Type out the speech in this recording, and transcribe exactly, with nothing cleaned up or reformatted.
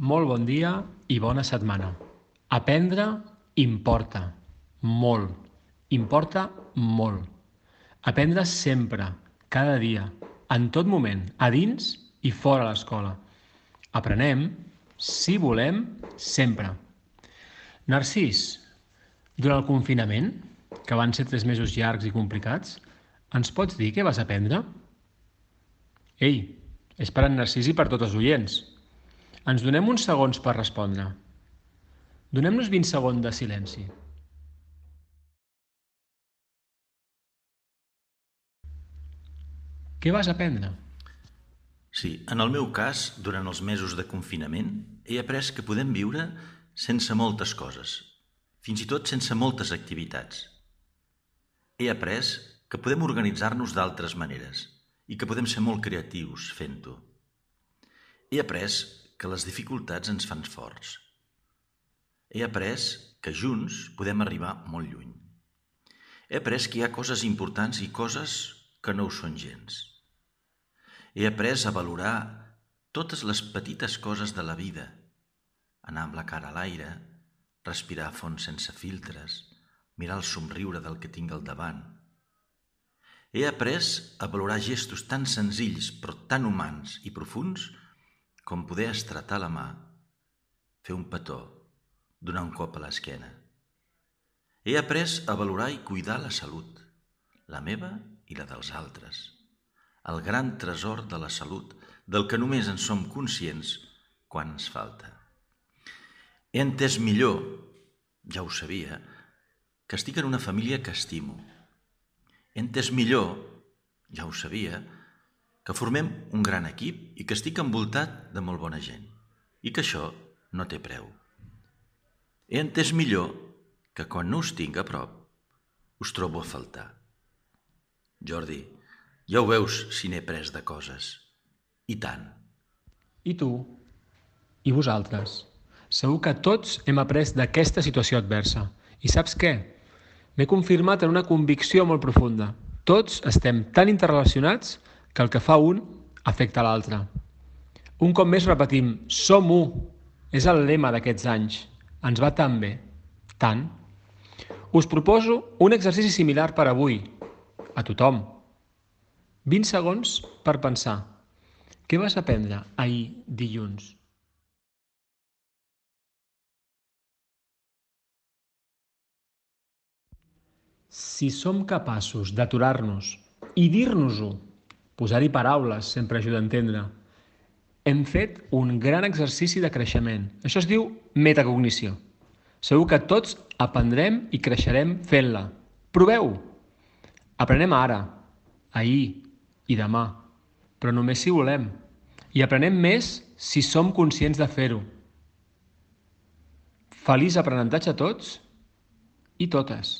Molt bon dia i bona setmana. Aprendre importa. Molt. Importa molt. Aprendre sempre, cada dia, en tot moment, a dins i fora l'escola. Aprenem, si volem, sempre. Narcís, durant el confinament, que van ser tres mesos llargs i complicats, ens pots dir què vas aprendre? Ei, és per en Narcís i per tots els oients. Ens donem uns segons per respondre. Donem-nos vint segons de silenci. Què vas aprendre? Sí, en el meu cas, durant els mesos de confinament, he après que podem viure sense moltes coses, fins i tot sense moltes activitats. He après que podem organitzar-nos d'altres maneres i que podem ser molt creatius fent-ho. He après que les dificultats ens fan forts. He après que junts podem arribar molt lluny. He après que hi ha coses importants i coses que no ho són gens. He après a valorar totes les petites coses de la vida, anar amb la cara a l'aire, respirar a fons sense filtres, mirar el somriure del que tinc al davant. He après a valorar gestos tan senzills però tan humans i profuns com poder estretar la mà, fer un petó, donar un cop a l'esquena. He après a valorar i cuidar la salut, la meva i la dels altres. El gran tresor de la salut, del que només en som conscients quan ens falta. He entès millor, ja ho sabia, que estic en una família que estimo. He entès millor, ja ho sabia, que formem un gran equip i que estic envoltat de molt bona gent i que això no té preu. He entès millor que quan no us tinc a prop us trobo a faltar. Jordi, ja ho veus si n'he pres de coses. I tant. I tu? I vosaltres? Segur que tots hem après d'aquesta situació adversa. I saps què? M'he confirmat en una convicció molt profunda. Tots estem tan interrelacionats que el que fa un afecta l'altre. Un cop més repetim, som u. És el lema d'aquests anys. Ens va tan bé. Tant. Us proposo un exercici similar per avui. A tothom. vint segons per pensar. Què vas aprendre ahir dilluns? Si som capaços d'aturar-nos i dir-nos-ho, posar-hi paraules sempre ajuda a entendre, hem fet un gran exercici de creixement. Això es diu metacognició. Segur que tots aprendrem i creixerem fent-la. Proveu-ho! Aprenem ara, ahir i demà, però només si volem. I aprenem més si som conscients de fer-ho. Feliç aprenentatge a tots i totes.